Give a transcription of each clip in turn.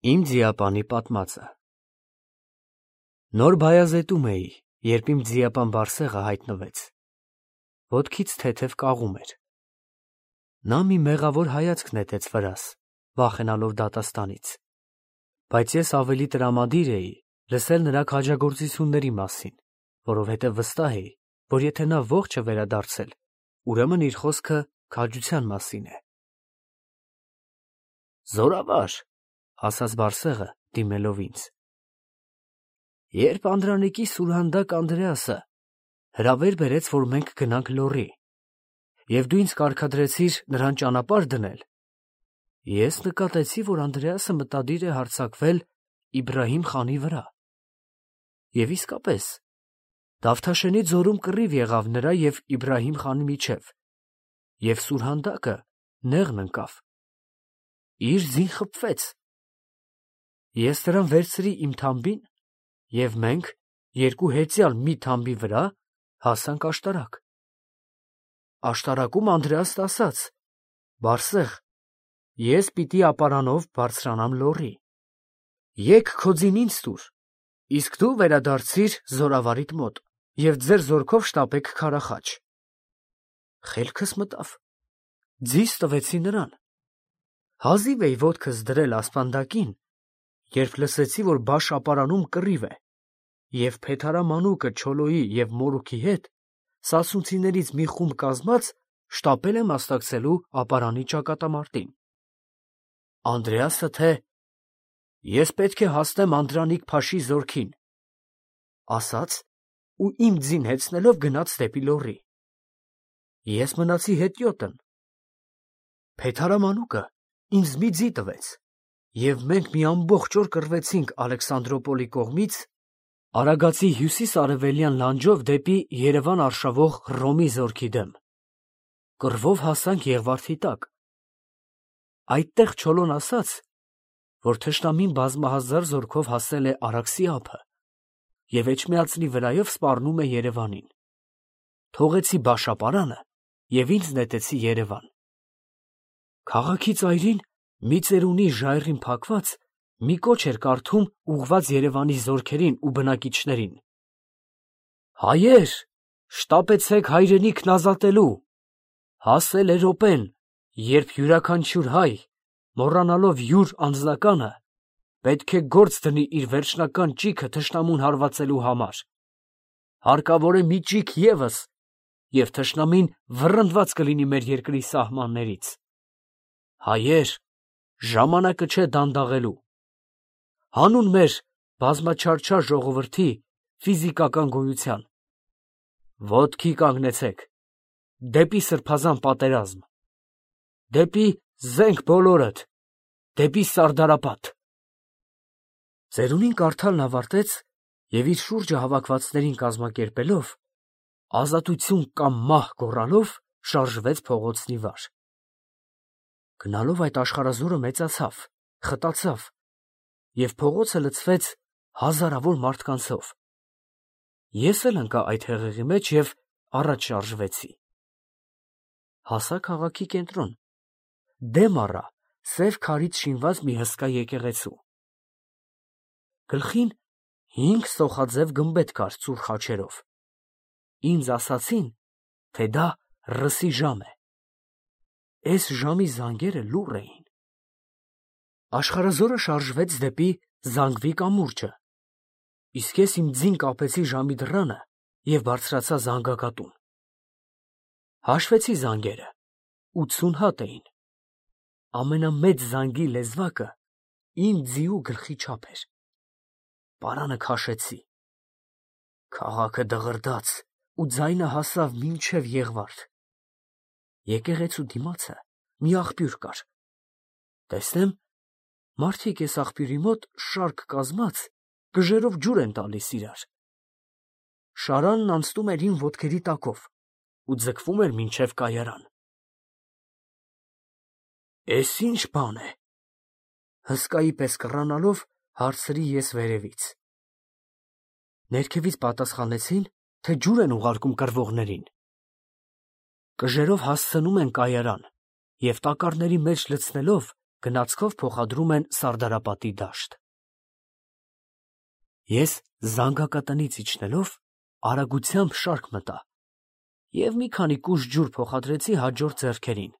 Իմ ձիապանի պատմածը։ Նոր Բայազետում էի, երբ իմ ձիապան Բարսեղը հայտնվեց։ Ոտքից թեթև կաղում էր։ Նա մի մեղավոր հայացք նետեց վրաս, վախենալով դատաստանից, բայց ես ավելի տրամադիր էի լսել նրա քաջագործությունների մասին, որովհետև վստահ էի, որ եթե նա ողջ է վերադարձել, ուրեմն իր խոսքը քաջության մասին է։ Զորավար, ասաց Բարսեղը, դիմելով ինձ, երբ Անդրանիկի սուրհանդակ Անդրեասը հրավեր բերեց, որ մենք գնանք Լոռի, և դու ինձ կարգադրեցիր նրան ճանապարհ դնել, ես նկատեցի, որ Անդրեասը մտադիր է հարձակվել Իբրահիմ խանի վրա։ Եվ իսկապես, Դավթաշենի ձորում կռիվ եղավ նրա և Իբրահիմ խանի միջև, և սուրհանդակը նեղն ընկավ, իր ձին խփվեց։ Ես նրան վերցրի իմ թամբին, և մենք, երկու հեծյալ մի թամբի վրա, հասանք աշտարակ։ Աշտարակում Անդրեասն ասաց. «Բարսեղ, ես պիտի ապարանով բարձրանամ Լոռի, եկ քո ձին ինձ տուր, իսկ դու վերադարձիր զորավարիդ մոտ և ձեր զորքով շտապեք քարախաչ»։ Խելքս մտավ, ձիս տվեցի նրան։ Հազիվ էի ոտքս դրել ասպանդակին, երբ լսեցի, որ Բաշ ապարանում կռիվ է, և Փեթհարամանուկը Չոլոյի և Մորուքի հետ, սասունցիներից մի խումբ կազմած, շտապել է մասնակցելու ապարանի ճակատամարտին։ Անդրեասը թե «Ես պետք է հասնեմ Անդրանիկ Փաշի զորքին» ասաց ու իմ ձին հեծնելով գնաց դեպի Լոռի։ Ես մնացի հետիոտն։ Փեթհարամանուկը ինձ մի ձի տվեց, և մենք մի ամբողջ օր կռվեցինք Ալեքսանդրոպոլի կողմից Արագածի հյուսիս֊արևելյան լանջով դեպի Երևան արշավող Հռոմի զորքի դեմ։ Կռվով հասանք Եղվարդի տակ։ Այդտեղ Չոլոն ասաց, որ թշնամին բազմահազար զորքով հասել է Արաքսի ափը և Էջմիածնի վրայով սպառնում է Երևանին։ Թողեցի Բաշ ապարանը և ինձ նետեցի Երևան։ Քաղաքի ծայրին մի ծերունի ժայռին փակված մի կոչ էր կարդում ուղղված Երևանի զորքերին ու բնակիչներին. «Հայեր, շտապեցեք հայրենիքն ազատելու, հասել է րոպեն, երբ յուրաքանչյուր հայ, մոռանալով յուր անձնականը, պետք է գործ դնի իր վերջնական ճիգը թշնամուն հարվածելու համար։ Հարկավոր է մի ճիգ ևս, և թշնամին վռնդված կլինի մեր երկրի սահմաններից։ Հայեր, ժամանակը չէ դանդաղելու։ Հանուն մեր բազմաչարչար ժողովրդի ֆիզիկական գոյության, ոտքի կանգնեցեք, դեպի սրբազան պատերազմ, դեպի զենք բոլորդ, դեպի Սարդարապատ»։ Ծերունին կարդալն ավարտեց և իր շուրջը հավաքվածներին կազմակերպելով, ազատություն կամ մահ գոռալով, շարժվեց փողոցնի վար։ Գնալով այդ աշխարհազորը մեծացավ, խտացավ, և փողոցը լցվեց հազարավոր մարդկանցով։ Ես էլ ընկա այդ հեղեղի մեջ և առաջ շարժվեցի։ Հասա քաղաքի կենտրոն, դեմ առա սև քարից շինված մի հսկա եկեղեցու։ Գլխին 5 սոխաձև գմբեթ կար ծուռ խաչերով։ Ինձ ասացին, թե դա ռսի ժամ է։ Էս ժամի զանգերը լուռ էին։ Աշխարհազորը շարժվեց դեպի Զանգվի կամուրջը, իսկ ես իմ ձին կապեցի ժամի դռանը և բարձրացա զանգակատուն։ Հաշվեցի զանգերը, 80 հատ էին։ Ամենամեծ զանգի լեզվակը իմ ձիու գլխի չափ էր։ Պարանը քաշեցի։ Քաղաքը դղրդաց ու ձայնը հասավ մինչև Եղվարդ։ Եկեղեցու դիմացը մի աղբյուր կար։ Տեսնեմ, մարդիկ էս աղբյուրի մոտ շարք կազմած կժերով ջուր են տալիս իրար։ Շարանն անցնում էր իմ ոտքերի տակով ու ձգվում էր մինչև կայարան։ «Էս ի՞նչ բան է», հսկայի պես կռանալով հարցրի ես վերևից։ Ներքևից պատասխանեցին, թե ջուր են ուղարկում կռվողներին։ Կժերով հասցնում են կայարան և տակառների մեջ լցնելով գնացքով փոխադրում են Սարդարապատի դաշտ։ Ես զանգակատնից իջնելով արագությամբ շարք մտա և մի քանի կուժ ջուր փոխադրեցի հաջորդ ձեռքերին,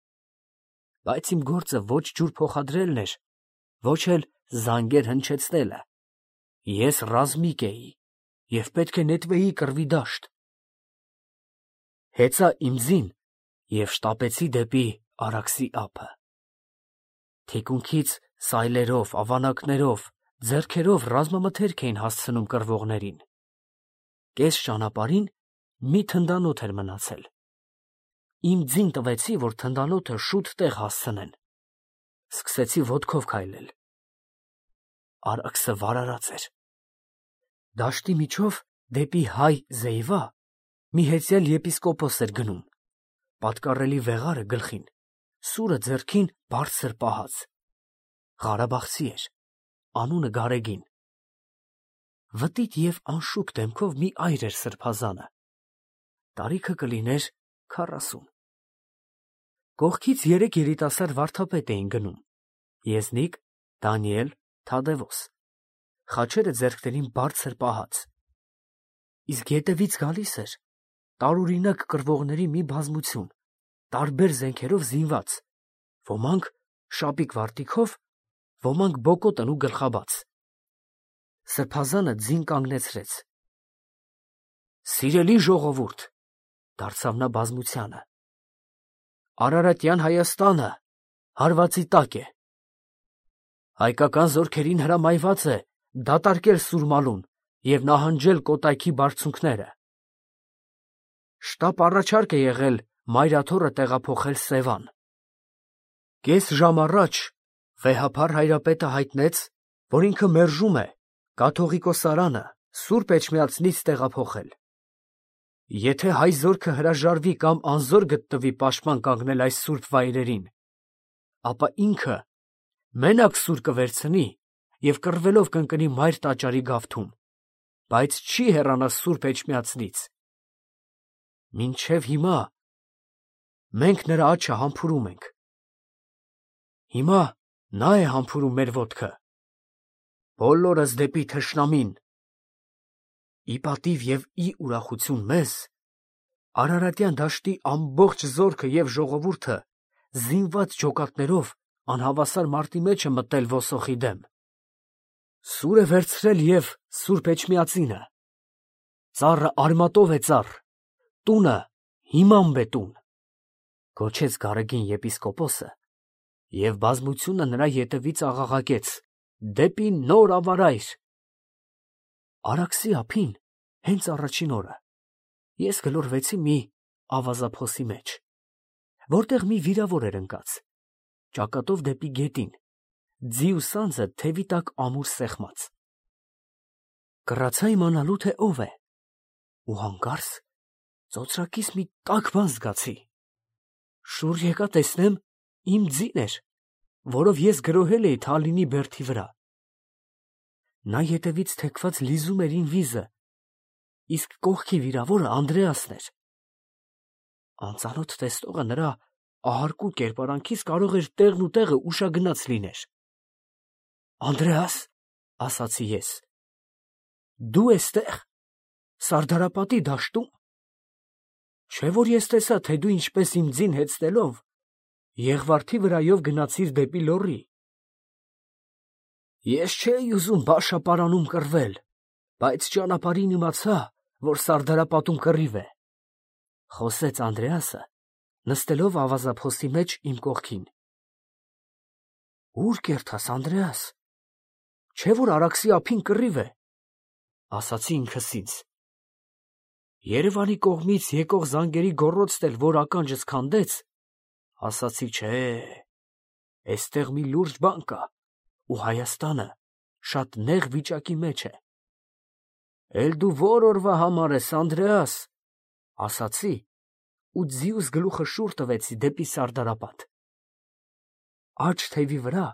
բայց իմ գործը ոչ ջուր փոխադրելն էր, ոչ էլ զանգեր հնչեցնելը։ Ես ռազմիկ էի և պետք է նետվեի կռվի դաշտ։ Հեծա իմ ձին և շտապեցի դեպի Արաքսի ափը։ Թիկունքից սայլերով, ավանակներով, ձեռքերով ռազմամթերք էին հասցնում կռվողներին։ Կես ճանապարհին մի թնդանոթ էր մնացել։ Իմ ձին տվեցի, որ թնդանոթը շուտ տեղ հասցնեն։ Սկսեցի ոտքով քայլել։ Արաքսը վարարած էր։ Դաշտի միջով դեպի Հայ Զեյվա մի հեծյալ եպիսկոպոս էր գնում, պատկառելի վեղարը գլխին, սուրը ձեռքին բարձր պահած։ Ղարաբաղցի էր, անունը Գարեգին։ Վտիտ և անշուք դեմքով մի այր էր սրբազանը։ Տարիքը կլիներ 40։ Կողքից 3 երիտասարդ վարդապետ էին գնում՝ Եզնիկ, Դանիել, Թադևոս, խաչերը ձեռքներին բարձր պահած։ Իսկ ետևից գալիս էր տարօրինակ կռվողների մի բազմություն, տարբեր զենքերով զինված, ոմանք շապիկ վարտիքով, ոմանք բոկոտն ու գլխաբաց։ Սրբազանը ձին կանգնեցրեց։ «Սիրելի ժողովուրդ», դարձավ նա բազմությանը, «Արարատյան Հայաստանը հարվածի տակ է։ Հայկական զորքերին հրամայված է դատարկել Սուրմալուն և նահանջել Կոտայքի բարձունքները։ Շտապ առաջարկ է եղել Մայրաթոռը տեղափոխել Սևան։ Կես ժամ առաջ վեհափառ հայրապետը հայտնեց, որ ինքը մերժում է կաթողիկոսարանը Սուրբ Էջմիածնից տեղափոխել։ Եթե հայ զորքը հրաժարվի կամ անզոր գտնվի պաշտպան կանգնել այս սուրբ վայրերին, ապա ինքը մենակ սուր կվերցնի և կռվելով կընկնի մայր տաճարի գավթում, բայց չի հեռանա Սուրբ Էջմիածնից։ Մինչև հիմա մենք նրա աջը համբուրում ենք։ Հիմա նա է համբուրում մեր ոտքը։ Բոլորս դեպի թշնամին։ Ի պատիվ և ի ուրախություն մեզ, Արարատյան դաշտի ամբողջ զորքը և ժողովուրդը զինված ջոկատներով անհավասար մարտի մեջ է մտել ոսոխի դեմ։ Սուր է վերցրել և Սուրբ Էջմիածինը։ Ծառը արմատով է ծառ, տունը հիմամբ է տուն, գոչեց Գարեգին եպիսկոպոսը, և բազմությունը նրա ետևից աղաղակեց դեպի նոր ավարայր։ Արաքսի ափին, հենց առաջին օրը, ես գլորվեցի մի ավազափոսի մեջ, որտեղ մի վիրավոր էր ընկած, ճակատով դեպի գետին, ձի ու սանձը թևի տակ ամուր սեղմած։ Կռացա իմանալու, թե ով է, ու հանկարծ ծոծրակիս մի տաք բան զգացի։ Շուռ եկա տեսնեմ, իմ ձին էր, որով ես գրոհել էի Թալինի բերդի վրա։ Նա ետևից թեքված լիզում էր իմ վիզը, իսկ կողքի վիրավորը Անդրեասն էր։ Անծանոթ տեսնողը նրա ահարկու կերպարանքից կարող էր տեղն ու տեղը ուշագնաց լիներ։ «Անդրեաս», ասացի ես, «դու էստեղ, Սարդարապատի դաշտում։ Չէ՞ որ ես տեսա, թե դու ինչպես իմ ձին հեծնելով Եղվարդի վրայով գնացիր դեպի Լոռի։ Ես չէի ուզում Բաշապարանում կռվել, բայց ճանապարհին իմացա, որ Սարդարապատում կռիվ է», խոսեց Անդրեասը, նստելով ավազափոսի մեջ իմ կողքին։ «Ո՞ւր կերտաս, Անդրեաս, չէ՞ որ Արաքսի ափին կռիվ է», ասացի ինքս ինձ։ Երևանի կողմից եկող զանգերի գոռոցն էլ որ ականջս քանդեց, ասացի չէ, էստեղ մի լուրջ բան կա, ու Հայաստանը շատ նեղ վիճակի մեջ է։ «Էլ դու ո՞ր օրվա համար ես, Անդրեաս», ասացի ու ձիուս գլուխը շուռ տվեցի դեպի Սարդարապատ։ Աջ թևի վրա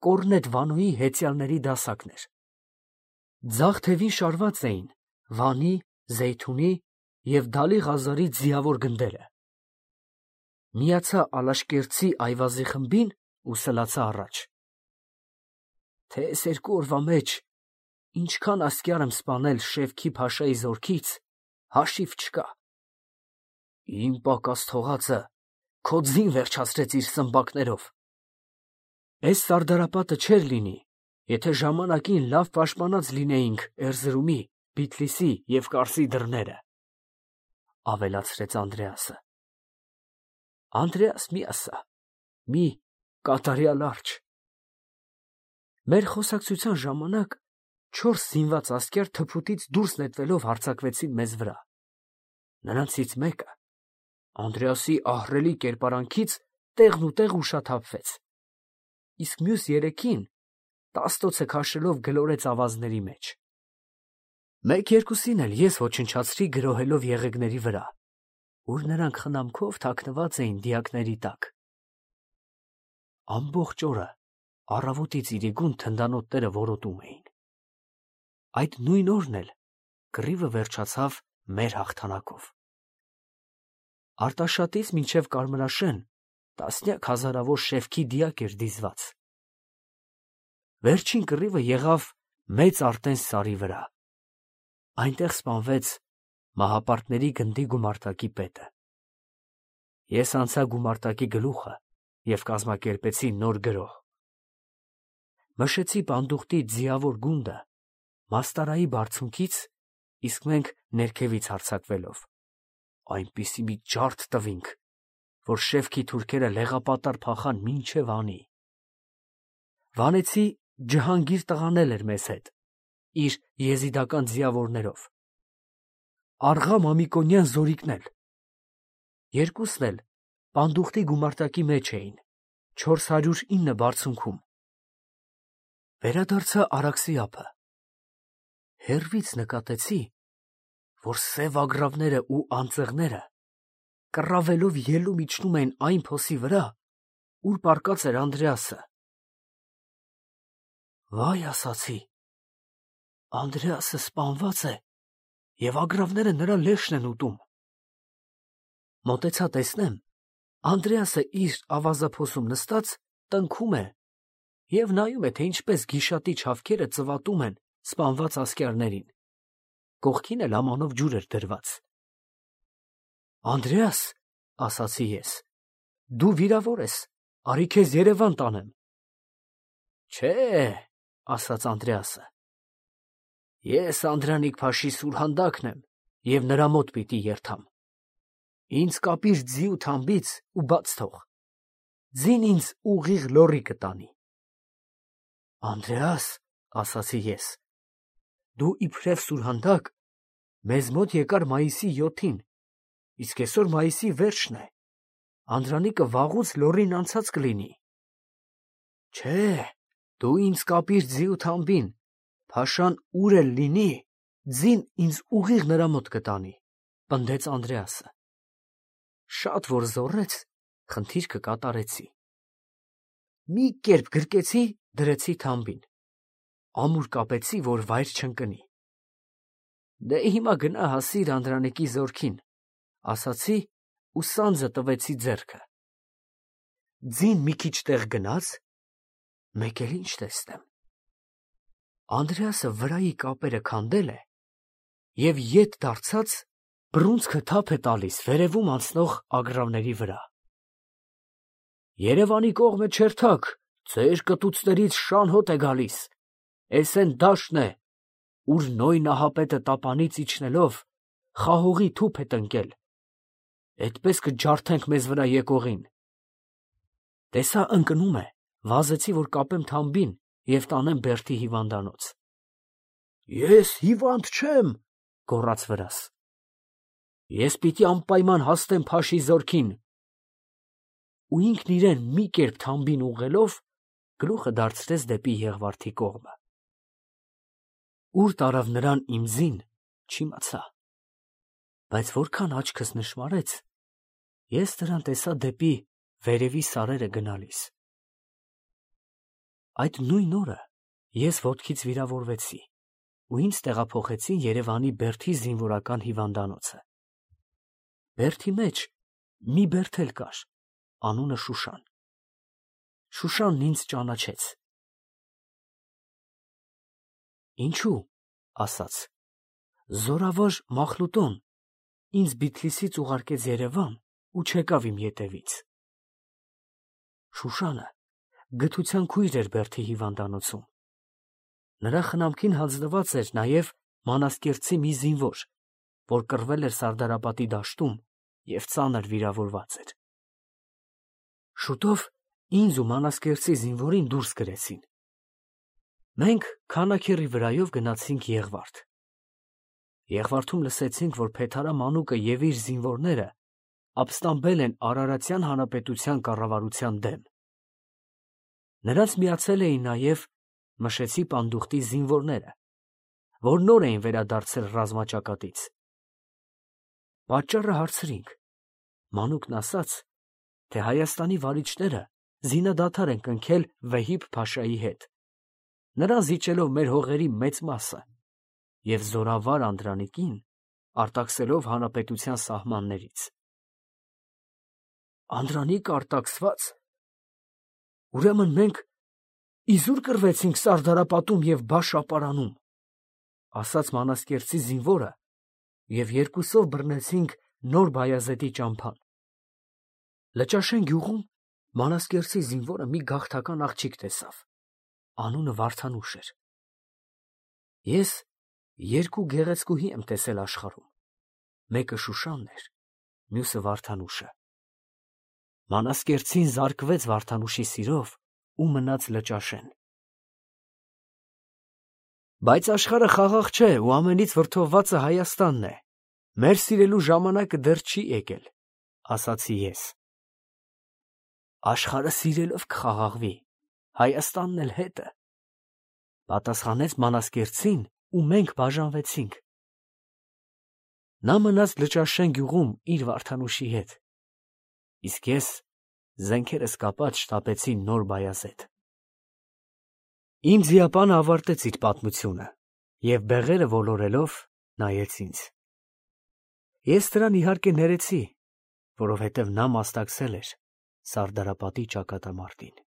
Կորնետ Վանոյի հեծյալների դասակն էր։ Ձախ թևին շարված էին Վանի, Զեյթունի և Դալի Ղազարի ձիավոր գնդերը։ Միացա Ալաշկերտցի Այվազի խմբին ու սլացա առաջ։ Թե այս 2 օրվա մեջ ինչքան ասկյար եմ սպանել Շևքի Փաշայի զորքից, հաշիվ չկա։ Իմ պակաս թողածը քո ձին վերջացրեց իր սմբակներով։ Այս սարդարապատը չէր լինի, եթե ժամանակին լավ պաշտպանած լինեինք Էրզրումի, Բիթլիսի և Կարսի դռները, ավելացրեց Անդրեասը։ Անդրեաս, մի ասա, մի կատարյալ արջ։ Մեր խոսակցության ժամանակ 4 զինված ասկյար թփուտից դուրս նետվելով հարձակվեցին մեզ վրա։ Նրանցից մեկը Անդրեասի ահռելի կերպարանքից տեղնուտեղ ուշաթափվեց, իսկ մյուս 3-ին տաստոցը քաշելով գլորեց ավազների մեջ։ 1-2-ին էլ ես ոչնչացրի գրոհելով եղեգների վրա, ուր նրանք խնամքով թաքնված էին դիակների տակ։ Ամբողջ օրը առավոտից իրիկուն թնդանոթները որոտում էին։ Այդ նույն օրն էլ կռիվը վերջացավ մեր հաղթանակով։ Արտաշատից մինչև Կարմրաշեն տասնյակ հազարավոր շևքի դիակ էր դիզված։ Վերջին կռիվը եղավ Մեծ Արտենս սարի վրա։ Այնտեղ սպանվեց Մահապարտների գնդի գումարտակի պետը։ Ես անցա գումարտակի գլուխը և կազմակերպեցի նոր գրոհ։ Մշեցի պանդուխտի ձիավոր գունդը Մաստարայի բարձունքից, իսկ մենք ներքևից հարձակվելով, այնպիսի մի ջարդ տվինք, որ Շևքի թուրքերը լեղապատար փախան մինչև անի։ Վանեցի Ջհանգիր տղան էր մեզ հետ, իր եզիդական ձիավորներով, Աղա Մամիկոնյան զորիկն էլ։ Երկուսն էլ պանդուխտի գումարտակի մեջ էին, 409 բարձունքում։ Վերադարձա Արաքսի ափը։ Հեռվից նկատեցի, որ սև ագռավները ու անձեղները կռավելով ելում իջնում էին այն փոսի վրա, ուր պառկած էր Անդրեասը։ Վայ, ասացի, Անդրեասը սպանված է և ագռավները նրա լեշն են ուտում։ Մոտեցա տեսնեմ, Անդրեասը իր ավազափոսում նստած տնքում է և նայում է, թե ինչպես գիշատի չավքերը ծվատում են սպանված ասկյարներին, կողքին էլ ամանով ջուր էր դրված։ Անդրեաս, ասացի ես, դու վիրավոր ես, արի քեզ Երևան տանեմ։ Չէ, ասաց Անդրեասը, ես Անդրանիկ Փաշի սուրհանդակն եմ և նրա մոտ պիտի երթամ։ Ինձ կապիր ձի ու թամբից ու բաց թող, ձին ինձ ուղիղ լոռի կտանի։ Անդրեաս, ասացի ես, դու իբրև սուրհանդակ մեզ մոտ եկար մայիսի 7-ին, իսկ այսօր մայիսի վերջն է, Անդրանիկը վաղուց լոռին անցած կլինի։ Չէ, դու ինձ կապիր ձի ու թամբին, Փաշան ուր էլ լինի, ձին ինձ ուղիղ նրա մոտ կտանի, պնդեց Անդրեասը։ Շատ որ զոռեց, խնդիրքը կատարեցի։ Մի կերպ գրկեցի, դրեցի թամբին, ամուր կապեցի, որ վայր չընկնի։ Դե հիմա գնա հասիր Անդրանիկի զորքին, ասացի ու սանձը տվեցի ձեռքը։ Ձին մի քիչ տեղ գնաց, մեկ էլ ինչ տեսնեմ։ Անդրեասը վրայի կապերը քանդել է և ետ դարձած բռունցքը թափ է տալիս վերևում անցնող ագռավների վրա։ Երևանի կողմը չերթաք, ձեր կտուցներից շան հոտ է գալիս, էս են դաշտն է, ուր Նոյ Նահապետը տապանից իջնելով խահողի թուփ է տնկել, էդպես կջարդենք մեզ վրա եկողին։ Տեսա ընկնում է, վազեցի, որ կապեմ թամբին և տանեմ Բերդի հիվանդանոց։ Ես հիվանդ չեմ, գոռաց վրաս։ Ես պիտի անպայման հասնեմ Փաշի զորքին։ Ու ինքն իրեն մի կերպ թամբին ուղղելով, գլուխը դարձրեց դեպի Եղվարդի կողմը։ Ուր տարավ նրան իմ ձին, չիմացա, բայց որքան աչքս նշմարեց, ես նրան տեսա դեպի վերևի սարերը գնալիս։ Այդ նույն օրը ես ոտքից վիրավորվեցի ու ինձ տեղափոխեցին Երևանի Բերդի զինվորական հիվանդանոցը։ Բերդի մեջ մի բերդ էլ կար, անունը Շուշան։ Շուշանն ինձ ճանաչեց։ Ինչու, ասաց, զորավոր Մախլուտոն ինձ Բիթլիսից ուղարկեց Երևան ու չեկավ իմ ետևից։ Շուշանը գթության քույր էր Բերդի հիվանդանոցում։ Նրա խնամքին հանձնված էր նաև Մանասկերտցի մի զինվոր, որ կռվել էր Սարդարապատի դաշտում և ծանր վիրավորված էր։ Շուտով ինձ ու Մանասկերտցի զինվորին դուրս գրեցին։ Մենք քանաքեռի վրայով գնացինք Եղվարդ։ Եղվարդում լսեցինք, որ Փեթարա Մանուկը և իր զինվորները ապստամբել են Արարատյան հանրապետության կառավարության դեմ։ Նրանց միացել էին նաև Մշեցի պանդուխտի զինվորները, որ նոր էին վերադարձել ռազմաճակատից։ Պատճառը հարցրինք։ Մանուկն ասաց, թե Հայաստանի վարիչները զինադադար են կնքել Վեհիբ Փաշայի հետ, նրան զիջելով մեր հողերի մեծ մասը և զորավար Անդրանիկին արտաքսելով հանրապետության սահմաններից։ Անդրանիկը արտաքսված։ Ուրեմն մենք իզուր կռվեցինք Սարդարապատում և Բաշ-ապարանում, ասաց Մանասկերտցի զինվորը, և երկուսով բռնեցինք Նոր Բայազեդի ճամփան։ Լճաշեն գյուղում Մանասկերտցի զինվորը մի գաղթական աղջիկ տեսավ, անունը Վարդանուշ էր։ Ես երկու գեղեցկուհի եմ տեսել աշխարհում, մեկը Շուշանն էր, մյուսը Վարդանուշը։ Մանասկերտցին զարկվեց Վարդանուշի սիրով ու մնաց Լճաշեն։ Բայց աշխարհը խաղաղ չէ ու ամենից վրդովվածը Հայաստանն է։ Մեր սիրելու ժամանակը դեռ չի եկել, ասացի ես։ Աշխարհը սիրելով կխաղաղվի, Հայաստանն էլ հետը, պատասխանեց Մանասկերտցին ու մենք բաժանվեցինք։ Նա մնաց Լճաշեն գյուղում իր Վարդանուշի հետ, իսկ ես զենքերս կապած շտապեցի Նոր Բայազեդ։ Իմ ձիապանը ավարտեց իր պատմությունը և բեղերը ոլորելով նայեց ինձ։ Ես նրան իհարկե ներեցի, որովհետև նա մասնակցել էր Սարդարապատի ճակատամարտին։